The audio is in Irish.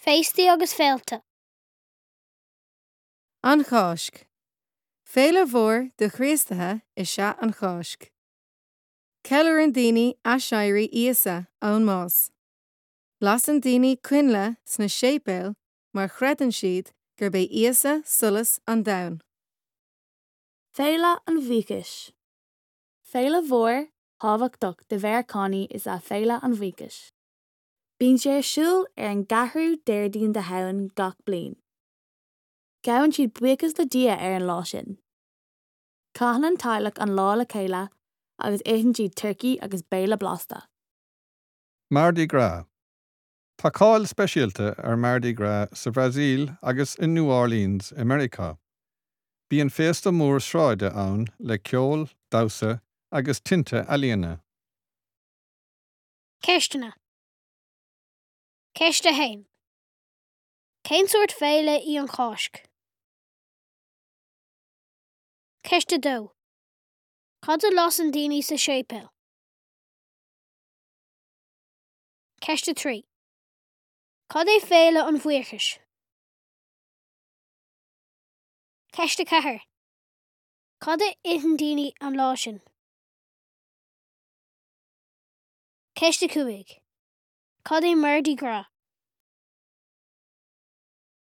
Féastaí agus féilte. An Cháisc. Féile mhór do Chríostaithe is ea an Cháisc. Ceiliúrann daoine aiséirí Íosa ón mbás. Lasann daoine coinnle sna séipéil mar chreideann siad gurb é Íosa solas an domhain. Féile an Bhuíochais. Féile mhór, thábhachtach do Mheiriceánaigh is ea Féile an Bhuíochais. Bíonn sé ar siúl ar an gceathrú Déardaoin de Shamhain gach bliain. Gabhann siad buíochas le Dia ar an lá sin. Caitheann an teaghlach an lá le chéile agus itheann siad turcaí agus béile blasta. Mardi Gras. Tá cáil speisialta ar Mardi Gras sa Bhrasaíl agus i New Orleans i Meiriceá. Bíonn féasta mór sráide ann le ceol, damhsa agus tinte ealaíne. Ceisteanna. Ceist 1. Cén sórt féile í an Cháisc? Ceist 2. Cad a lasann daoine sa séipéal? Ceist 3. Cad é Féile an Bhuíochais? Ceist 4. Cad a itheann daoine an lá sin? Ceist 5. Cad é Mardi Gras?